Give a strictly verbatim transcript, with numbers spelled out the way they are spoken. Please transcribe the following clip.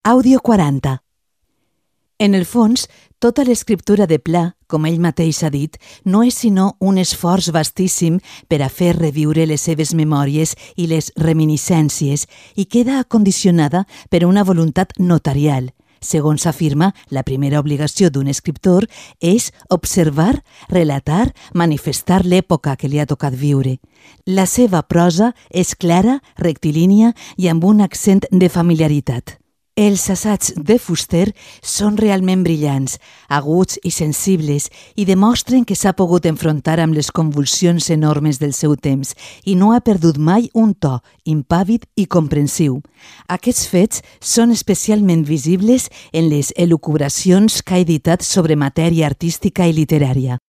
Àudio quaranta. En el fons, tota l'escriptura de Pla, com ell mateix ha dit, no és sinó un esforç vastíssim per a fer reviure les seves memòries i les reminiscències i queda acondicionada per una voluntat notarial. Segons afirma, la primera obligació d'un escriptor és observar, relatar, manifestar l'època que li ha tocat viure. La seva prosa és clara, rectilínia i amb un accent de familiaritat. Els assaigs de Fuster són realment brillants, aguts i sensibles i demostren que s'ha pogut enfrontar amb les convulsions enormes del seu temps i no ha perdut mai un to impàvid i comprensiu. Aquests fets són especialment visibles en les elucubracions que ha editat sobre matèria artística i literària.